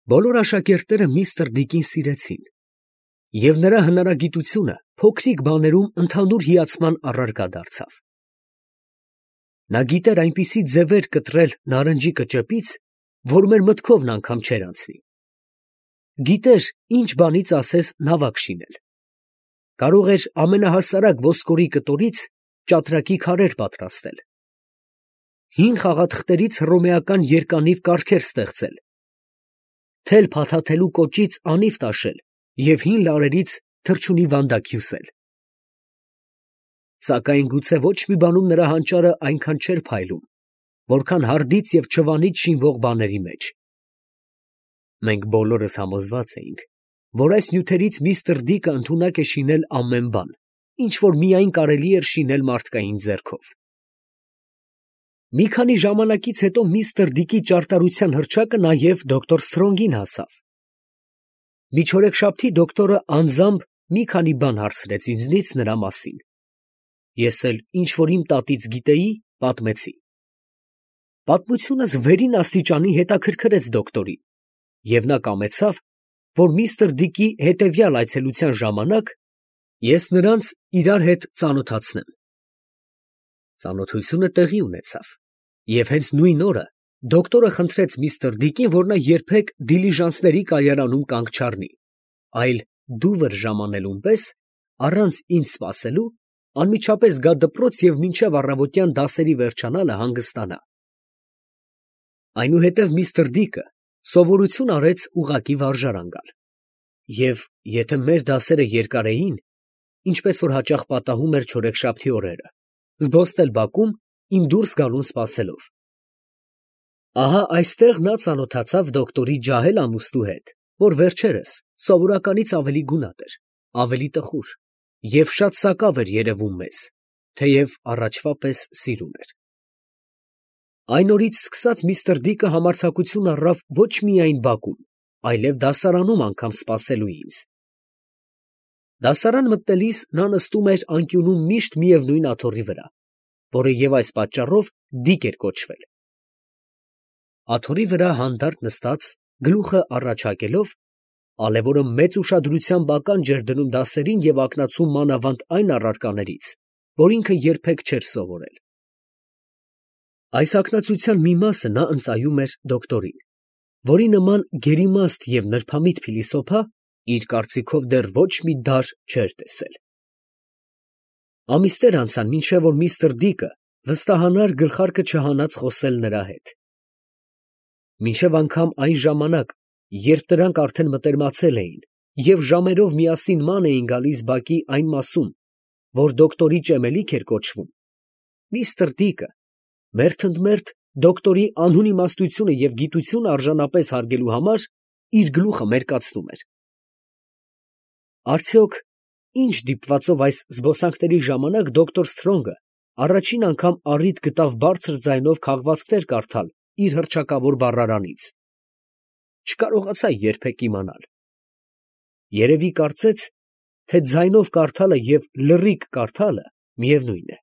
Բոլոր աշակերտները միստր Դիկին սիրեցին, և նրա հնարագիտությունը փոքրիկ բաներում ընդհանուր հիացման առարկա դարձավ։ Նա գիտեր այնպիսի ձևեր կտրել նարնջի կճեպից, որ մեր մտքովն անգամ չէր անցնի։ Գիտեր ինչ բանից ասես նավակ շինել։ Կարող էր ամենահասարակ ոսկորի կտորից ճատրակի քարեր պատրաստել, հին խաղաթղթերից հռոմեական երկանիվ կարգեր ստեղծել, թել փաթաթելու կոճից անիվ տաշել և հին լարերից թռչունի վանդակ հյուսել։ Սակայն գուցե ոչ մի բանում նրա հանճարը այնքան չէր փայլում, որքան հարդից և չվանից շինվող բաների մեջ։ Մենք բոլորս համոզված էինք, որ այս նյութերից միստր Դիկը ընդունակ է շինել ամեն բան, ինչ որ միայն կարելի էր շինել մարդկային ձեռքով։ Մի քանի ժամանակից հետո միստր Դիկի ճարտարության հռչակը նաև դոկտոր Սթրոնգին հասավ։ Միջօրեքշաբթի դոկտորը անձամբ մի քանի բան հարցրեց ինձնից նրա մասին։ Ես էլ ինչ որ իմ տատից գիտեի, պատմեցի։ Պատմությունս վերին աստիճանի հետաքրքրեց դոկտորին, և նա կամեցավ, որ միստր Դիկի հետևյալ այցելության ժամանակ ես նրանց իրար հետ ծանոթացնեմ։ Ծանոթությունը տեղի ունեցավ, և հենց նույն օրը դոկտորը խնդրեց միստր Դիկին, որ նա երբեք դիլիժանսների կայարանում կանգ չառնի, այլ դուվր ժամանելուն պես, առանց ինձ սպասելու, անմիջապես գա դպրոց և մինչև առավոտյան դասերի վերջանալը հանգստանա։ Այնուհետև միստր Դիկը սովորություն արեց ուղղակի վարժարան գալ, և եթե մեր դասերը երկար էին, ինչպես որ հաճախ պատահում էր չորեքշաբթի օրերը, զբոսնել բակում, իմ դուրս գալուն սպասելով։ Ահա այստեղ նա ծանոթացավ դոկտորի ջահել ամուսնու հետ, որ վերջերս սովորականից ավելի գունատ էր, ավելի տխուր և շատ սակավ էր երևում մեզ, թեև առաջվա պես սիրուն էր։ Այն օրից սկսած միստր Դիկը համարձակություն առավ ոչ միայն բակում, այլև դասարանում անգամ սպասելու ինձ։ Դասարան մտնելիս նա նստում էր անկյունում միշտ միևնույն աթոռի վրա, որը և այս պատճառով Դիկ էր կոչվել։ Աթոռի վրա հանդարտ նստած, գլուխը առաջ հակելով, ալևորը մեծ ուշադրությամբ ականջ էր դնում դասերին և ակնացում մանավանդ այն առարկաներից, որ ինքը երբեք չէր սովորել։ Այս ակնածության մի մասը նա ընծայում էր դոկտորին, որի նման գերիմաստ և նրբամիտ փիլիսոփա իր կարծիքով դեռ ոչ մի դար չէր տեսել։ Ամիսներ անցան, մինչև որ միստր Դիկը վստահանար գլխարկը չհանած խոսել նրա հետ։ Մինչև անգամ այն ժամանակ, երբ դրանք արդեն մտերմացել էին և ժամերով միասին ման էին գալիս բակի այն մասում, որ դոկտորի ճեմելիք էր կոչվում, միստր Դիկը մերթ ընդ մերթ դոկտորի անհուն իմաստությունը և գիտությունը արժանապես հարգելու համար իր գլուխը մերկացնում էր։ Արդյոք ինչ դիպվածով այս զբոսանքների ժամանակ դոկտոր Սթրոնգը առաջին անգամ առիթ գտավ բարձր ձայնով քաղվածքներ կարդալ իր հռչակավոր բառարանից, չկարողացա երբեք իմանալ։ Երևի կարծեց, թե ձայնով կարդալը և լռիկ կարդալը միևնույն է։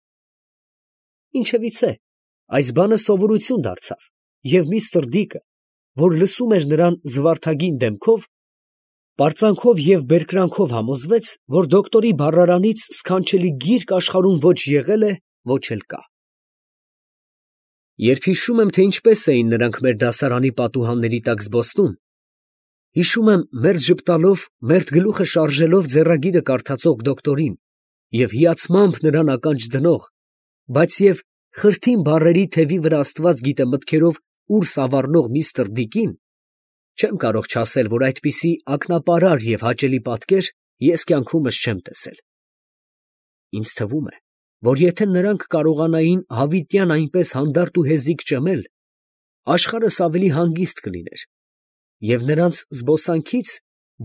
Ինչևիցե, այս բանը սովորություն դարձավ, և միստր Դիկը, որ լսում էր նրան զվարթագին դեմքով, պարծանքով և բերկրանքով համոզվեց, որ դոկտորի բառարանից սքանչելի գիրք աշխարհում ոչ եղել է, ոչ էլ կա։ Երբ հիշում եմ, թե ինչպես էին նրանք մեր դասարանի պատուհանների տակ զբոսնում, հիշում եմ մերթ ժպտալով, մերթ գլուխը շարժելով ձեռագիրը կարդացող դոկտորին և հիացմամբ նրան ականջ դնող, բայց և խրթին բառերի թևի վրա աստված գիտե մտքերով ուր սավառնող միստր Դիկին, չեմ կարող չասել, որ այդպիսի ակնապարար և հաճելի պատկեր ես կյանքումս չեմ տեսել։ Ինձ թվում է, որ եթե նրանք կարողանային հավիտյան այնպես հանդարտ ու հեզիգ ճմել, աշխարհս ավելի հանգիստ կլիներ, և նրանց զբոսանքից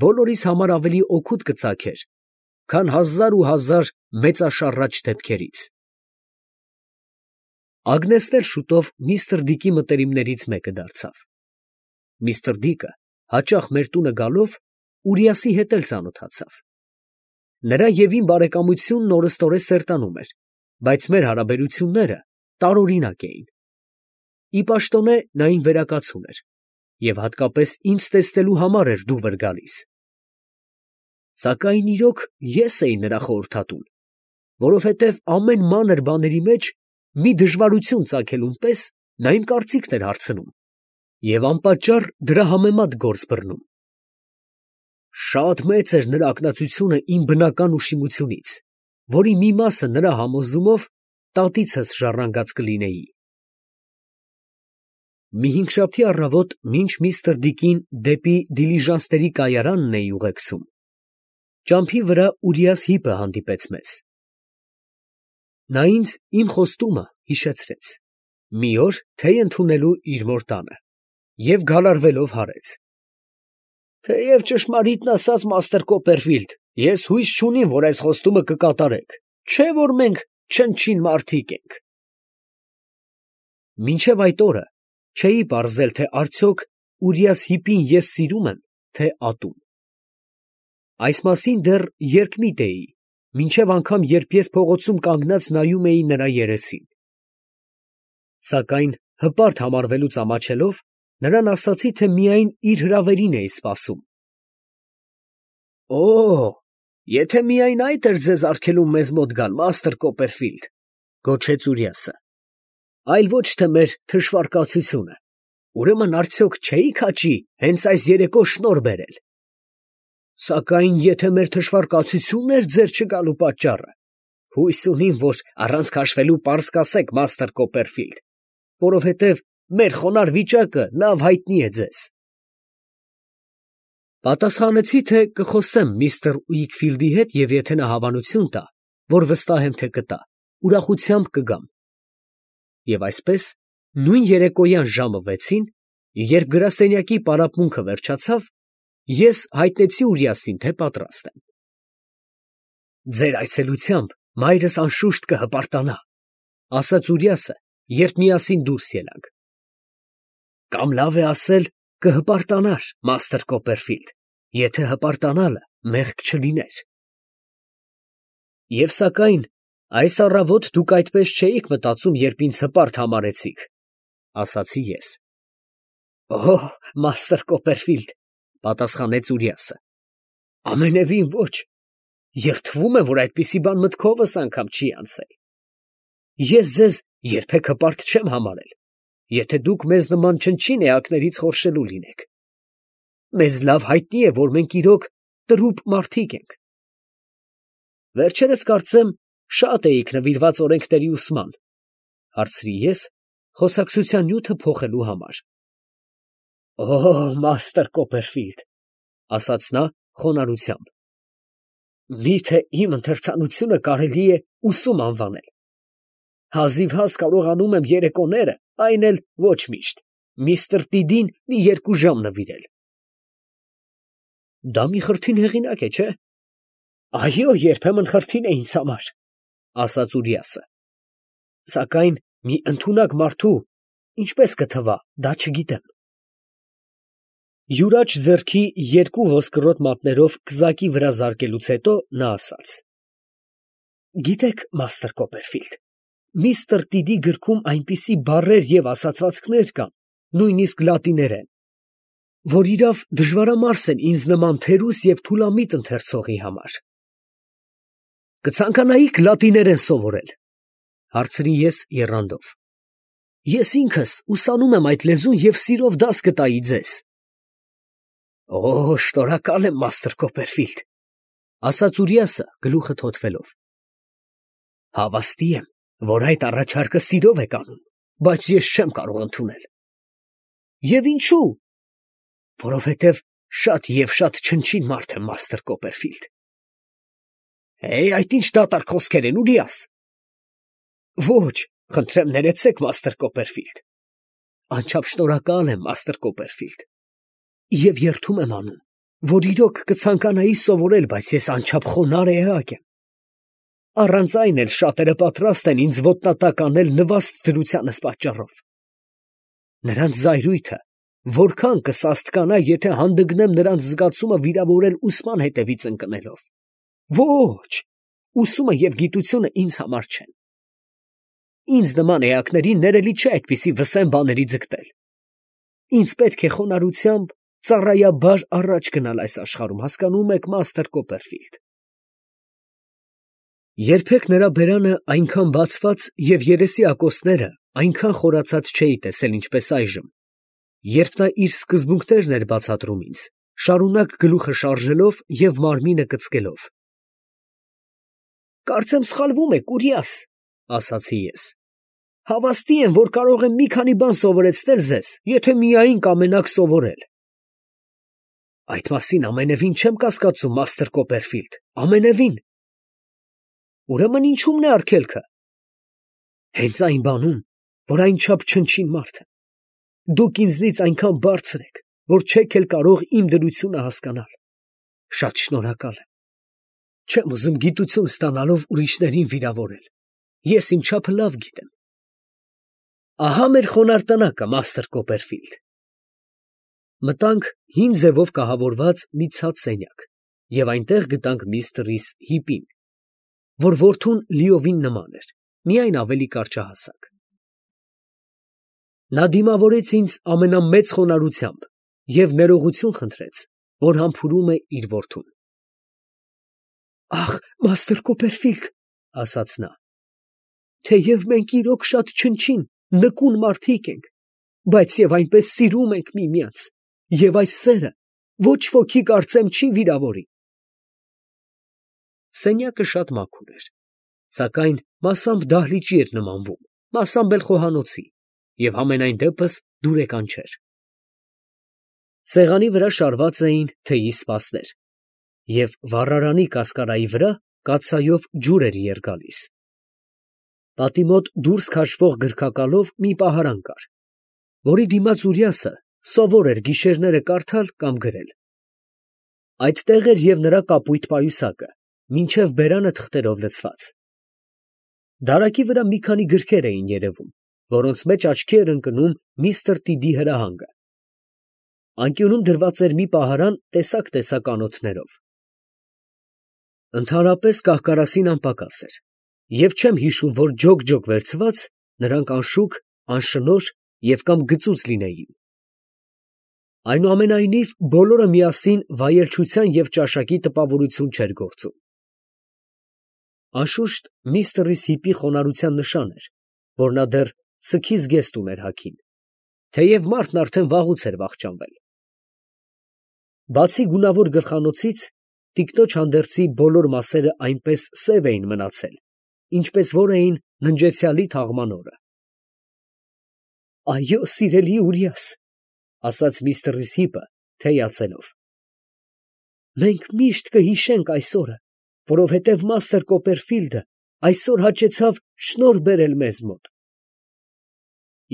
բոլորիս համար ավելի օգուտ կծագեր, քան հազար ու հազար մեծաշառաչ դեպքերից։ Ագնեսն էլ շուտով միստր Դիկի մտերիմներից մեկը դարձավ։ Միստր Դիկը հաճախ մեր տունը գալով Ուրիասի հետ էլ ծանոթացավ։ Նրա և իմ բարեկամությունն օրըստօրե սերտանում էր, բայց մեր հարաբերությունները տարօրինակ էին։ Ի պաշտոնե նա իմ վերակացուն էր, և հատկապես ինձ տեսնելու համար էր դուրս գալիս։ Սակայն իրոք ես էի նրա խորհրդատուն, որովհետև ամեն մանր բաների մեջ մի դժվարություն ծագելուն պես նա իմ կարծիքն էր հարցնում և անպատճառ դրա համեմատ գործ բռնում։ Շատ մեծ էր նրա ակնածությունը իմ բնական ուշիմությունից, որի մի մասը նրա համոզումով տատիցս ժառանգած կլինեի։ Մի հինգշաբթի առավոտ, մինչ միստր Դիկին դեպի դիլիժանսների կայարանն էի ուղեկցում, ճամփի վրա Ուրիաս հիպը հանդիպեց մեզ։ Նա ինձ իմ խոստումը հիշեցրեց, մի օր թեյ ընդունելու իր մոր տանը, և գալարվելով հարեց. «Թեև ճշմարիտն ասած, մաստր Կոպերֆիլդ, ես հույս չունիմ, որ այս խոստումը կկատարեք, չէ՞ որ մենք չնչին մարդիկ ենք»։ Մինչև այդ օրը չէի պարզել, թե արդյոք Ուրիաս հիպին ես սիրում եմ, թե ատում։ Այս մասին դեռ երկմիտ էի, մինչև անգամ երբ ես փողոցում կանգնած նայում էի նրա երեսին։ Սակայն հպարտ համարվելուց ամաչելով, նրան ասացի, թե միայն իր հրավերին էի սպասում։ «Օ, եթե միայն այդ էր ձեզ արգելում մեզ մոտ գալ, մաստր Կոպերֆիլդ, ֊ գոչեց Ուրիասը, ֊ այլ ոչ թե մեր թշվառկացությունը, ուրեմն արդյոք չէի՞ք հաճի հենց այս երեկո շնորհ բերել։ Սակայն եթե մեր թշվառկացությունն էր ձեր չգալու պատճառը, հույս ունիմ, որ առանց քաշվելու պարզ կասեք, մաստր Կոպերֆիլդ, որովհետև մեր խոնարհ վիճակը լավ հայտնի է ձեզ»։ Պատասխանեցի, թե կխոսեմ միստր Ուիքֆիլդի հետ և եթե նա հավանություն տա, որ վստահ եմ, թե կտա, ուրախությամբ կգամ։ Եվ այսպես, նույն երեկոյան ժամը 6-ին, երբ գրասենյակի պարապմունքը վերջացավ, ես հայտնեցի Ուրիասին, թե պատրաստ եմ։ «Ձեր այցելությամբ մայրս անշուշտ կհպարտանա», ֊ ասաց Ուրիասը, երբ միասին դուրս ելանք։ «Կամ լավ է ասել, կհպարտանար, մաստր Կոպերֆիլդ, եթե հպարտանալը մեղք չլիներ»։ «Եվ սակայն այս առավոտ դուք այդպես չէիք մտածում, երբ ինձ հպարտ համարեցիք», ֊ ասացի ես։ «Օ, մաստր Կոպերֆիլդ, ֊ պատասխանեց Ուրիասը, ֊ ամենևին ոչ, երդվում եմ, որ այդպիսի բան մտքովս անգամ չի անցել։ Ես ձեզ երբեք հպարտ չեմ համարել, եթե դուք մեզ նման չնչին էակներից խորշելու լինեք։ Մեզ լավ հայտնի է, որ մենք իրոք տրուփ մարդիկ ենք։ Վերջերս կարծեմ շատ էիք նվիրված օրենքների ուսման, ֊ հարցրի ես, խոսակցության նյութը փոխելու համար։ «Օ, մաստր Կոպերֆիլդ, ֊ ասաց նա խոնարհությամբ, ֊ միթե իմ ընթերցանությունը կարելի է ուսում անվանել։ Հազիվհազ կարողանում եմ երեկոները, այն էլ ոչ միշտ, միստր Տիդին մի 2 ժամ նվիրել»։ «Դա մի խրթին հեղինակ է, չէ՞։ Այո, երբեմն խրթին է ինձ համար, ֊ ասաց Ուրիասը, ֊ սակայն մի ընդունակ մարդու ինչպես կթվա, դա չգիտեմ։ Յուրաչ ձեռքի 2 ոսկրոտ մատներով կզակի վրա զարկելուց հետո նա ասաց. «Գիտեք, մաստր Կոպերֆիլդ, միստր Տիդի գրքում այնպիսի բառեր և ասացվածքներ կան, նույնիսկ լատիներեն, որ իրավ դժվարամարս են ինձ նման թերուս և թուլամիտ ընթերցողի համար»։ «Կցանկանայի՞ք լատիներեն սովորել, ֊ հարցրի ես եռանդով։ Ես ինքս ուսանում եմ այդ լեզուն և սիրով դաս կտայի ձեզ»։ «Օ, շնորհակալ եմ, մաստր Կոպերֆիլդ, ֊ ասաց Ուրիասը գլուխը թոթվելով։ Հավաստի եմ, որ այդ առաջարկը սիրով եք անում, բայց ես չեմ կարող ընդունել։ Եվ ինչո՞ւ։ Որովհետև շատ և շատ չնչին մարդ եմ, մաստր Կոպերֆիլդ։ Այդ ինչ դատարկ խոսքեր են, Ուրիաս։ Ոչ, խնդրեմ ներեցեք, մաստր Կոպերֆիլդ։ Անչափ շնորհակալ եմ, մաստր Կոպերֆիլդ, և երդում եմ անում, որ իրոք կցանկանայի սովորել, բայց ես անչափ խոնարհ էակ եմ։ Առանց այն էլ շատերը պատրաստ են ինձ ոտնատակ անել նվաստ դրությանս պատճառով։ Նրանց զայրույթը որքան կսաստկանա, եթե հանդգնեմ նրանց զգացումը վիրավորել ուսման հետևից ընկնելով։ Ոչ, ուսումը և գիտությունը ինձ համար չեն։ Ինձ նման էակներին ներելի չէ այդպիսի վսեմ բաների ձգտել։ Ինձ պետք է խոնարհությամբ ծառայաբար առաջ գնալ այս աշխարհում, հասկանում եք, Մաստեր Կոպերֆիլդ։ Երբեք նրա բերանը այնքան բացված և երեսի ակոսները այնքան խորացած չէի տեսել, ինչպես այժմ, երբ նա իր սկզբունքներն էր բացատրում ինձ, շարունակ գլուխը շարժելով և մարմինը կծկելով։ «Կարծեմ սխալվում եք, Ուրիաս, ֊ ասացի ես. ֊ հավաստի եմ, որ կարող եմ մի քանի բան սովորեցնել ձեզ, եթե միայն կամենաք սովորել։ ֊ Այդ մասին ամենևին չեմ կասկածում, Մաստեր Կոպերֆիլդ, ամենևին։ ֊ Ուրեմն ինչու՞մն է արգելքը։ ֊ Հենց այն բանում, որ այնչափ չնչին մարդ եմ։ Դուք ինձնից այնքան բարձր եք, որ չեք էլ կարող իմ դրությունը հասկանալ։ Շատ շնորհակալ եմ։ Չեմ ուզում գիտություն ստանալով ուրիշներին վիրավորել։ Ես իմ չափը լավ գիտեմ։ Ահա մեր խոնարհ տնակը, Մաստեր Կոպերֆիլդ։ Մտանք հին ձևով կահավորված մի ցած սենյակ և այնտեղ գտանք միստր Ռիս Հիպին, որ որդուն լիովին նման էր, միայն ավելի կարճահասակ։ Նա դիմավորեց ինձ ամենամեծ խոնարհությամբ և ներողություն խնդրեց, որ համբուրում է իր որդուն։ Ախ, Մաստեր Կոպերֆիլդ, ֊ ասաց նա, ֊ թեև մենք իրոք շատ չնչին, նկուն մարդիկ ենք, բայց և այնպես սիրում ենք միմյանց, և այս սերը ոչ ոքի, կարծեմ, չի վիրավորի։ Սենյակը շատ մաքուր էր, սակայն մասամբ դահլիճի էր նմանվում, մասամբ էլ խոհանոցի, և համենայն դեպս դուրեկան չէր։ Սեղանի վրա շարված էին թեյի սպասներ, և վառարանի կասկարայի վրա կաթսայով ջուր էր երջալիս։ Պատի մոտ դուրս քաշվող գրքակալով մի պահարան կար, որի դիմաց Ուրիասը սովոր էր գիշերները կարդալ կամ գրել։ Այդտեղ էր և նրա կապույտ պայուսակը, մինչև բերանը թղթերով լցված։ Դարակի վրա մի քանի գրքեր էին երևում, որոնց մեջ աչքի էր ընկնում միստր Տիդի հրահանգը։ Անկյունում դրված էր մի պահարան տեսակ անոթներով։ Ընդհանրապես կահ֊կարասին անպակաս էր, և չեմ հիշում, որ ջոկ վերցված նրանք անշուք, անշնորհ և կամ գծուծ լինեին։ Այնուամենայնիվ, բոլորը միասին վայելչության և ճաշակի տպավորություն չէր գործում։ Անշուշտ, միստր Ռիս Հիպի խոնարհության նշան էր, որ նա դեռ սգի զգեստ ուներ հագին, թեև մարդն արդեն վաղուց էր վախճանվել։ Բացի գունավոր գլխանոցից, տիկնոջ հանդերձի բոլոր մասերը այնպես սև էին մնացել, ինչպես որ էին ննջեցյալի թաղման օրը։ Այո, սիրելի Ուրիաս, ֊ ասաց միստր Ռիս Հիպը, թեյացելով, ֊ մենք միշտ կհիշենք այս օրը, որովհետև Մաստեր Կոպերֆիլդը այսօր հաճեցավ շնորհ բերել մեզ մոտ։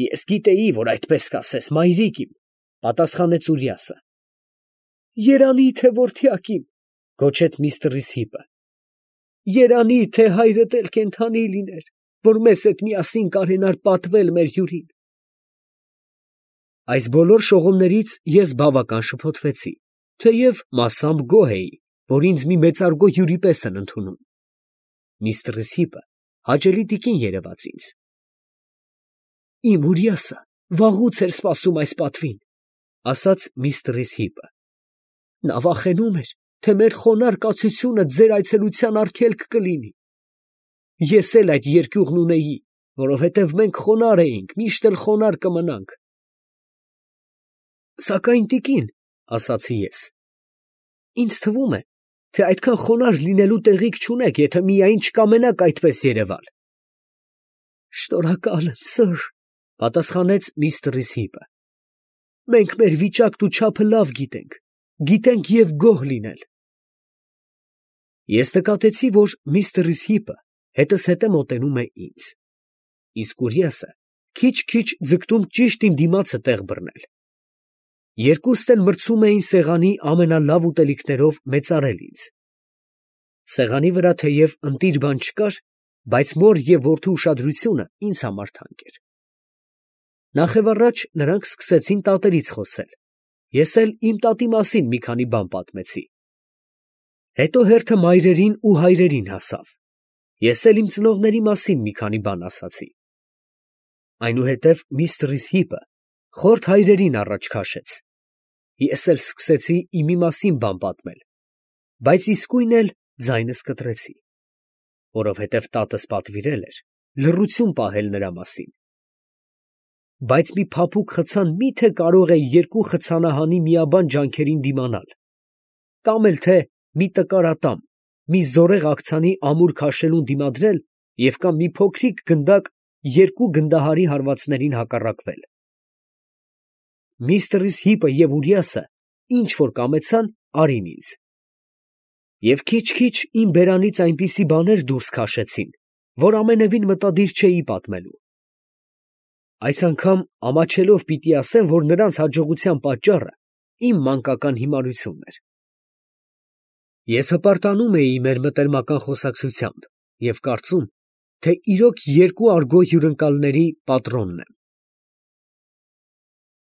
Ես գիտեի, որ այդպես կասես, մայրիկ իմ, ֊ պատասխանեց Ուրիասը։ Երանի թե որդյակ իմ, ֊ գոչեց միստր Ռիս Հիպը, ֊ երանի թե հայրդ էլ կենդանի լիներ, որ մեզ հետ միասին կարենար պատվել մեր հյուրին։ Այս բոլոր շողումներից ես բավական շփոթվեցի, թեև մասամբ գոհ էի, որ ինձ մի մեծարգո հյուրի պես են ընդունում։ Միստր Ռիս Հիպը հաճելի տիկին երևաց ինձ։ Իմ Ուրիասը վաղուց էր սպասում այս պատվին, ֊ ասաց միստր Ռիս Հիպը։ Նա վախենում էր, թե մեր խոնարհ կացությունը ձեր այցելության արգելք կլինի։ Ես էլ այդ երկյուղն ունեի, որովհետև մենք խոնարհ էինք, միշտ էլ խոնարհ կմնանք։ Սակայն տիկին, ֊ ասացի ես, ֊ ինձ թվում է, թե այդքան խոնարհ լինելու տեղիք չունեք, եթե միայն չկամենաք այդպես երևալ։ Շնորհակալ եմ, սըր, ֊ պատասխանեց միստր Ռիս Հիպը։ Մենք մեր վիճակն ու չափը լավ գիտենք, գիտենք և գոհ լինել։ Ես նկատեցի, որ միստր Ռիս Հիպը հետզհետե մոտենում է ինձ, իսկ Ուրիասը քիչ ձգտում ճիշտ իմ դիմացը տեղ բռնել։ Երկուստ էլ մրցում էին սեղանի ամենալավ ուտելիքներով մեծարել ինձ։ Սեղանի վրա թեև ընտիր բան չկար, բայց մոր և որդու ուշադրությունը ինձ համար թանկ էր։ Նախևառաջ նրանք սկսեցին տատերից խոսել, ես էլ իմ տատի մասին մի քանի բան պատմեցի։ Հետո հերթը մայրերին ու հայրերին հասավ, ես էլ իմ ծնողների մասին մի քանի բան ասացի։ Այնուհետև միստր Ռիս Հիպը Խորթ հայրերին առաջ քաշեց։ Ես էլ սկսեցի իմի մասին բան պատմել, բայց իսկույն էլ ձայնս կտրեցի, որովհետև տատս պատվիրել էր լռություն պահել նրա մասին։ Բայց մի փափուկ խցան մի՞թե կարող է երկու խցանահանի միաբան ջանքերին դիմանալ, կամ էլ թե մի տկար ատամ, մի զորեղ աքցանի ամուր քաշելուն դիմադրել և կամ մի փոքրիկ գնդակ երկու գնդահարի հարվածներին հակառակվել։ Միստր Հիպը և Ուրիասը ինչ որ կամեցան, արին ինձ։ Եվ քիչ֊քիչ իմ բերանից այնպիսի բաներ դուրս քաշեցին, որ ամենևին մտադիր չէի պատմելու։ Այս անգամ ամաչելով պիտի ասեմ, որ նրանց հաջողության պատճառը իմ մանկական հիմարությունն էր։ Ես հպարտանում էի մեր մտերմական խոսակցությամբ և կարծում, թե իրոք երկու արգո հյուրընկալների պատրոնն եմ։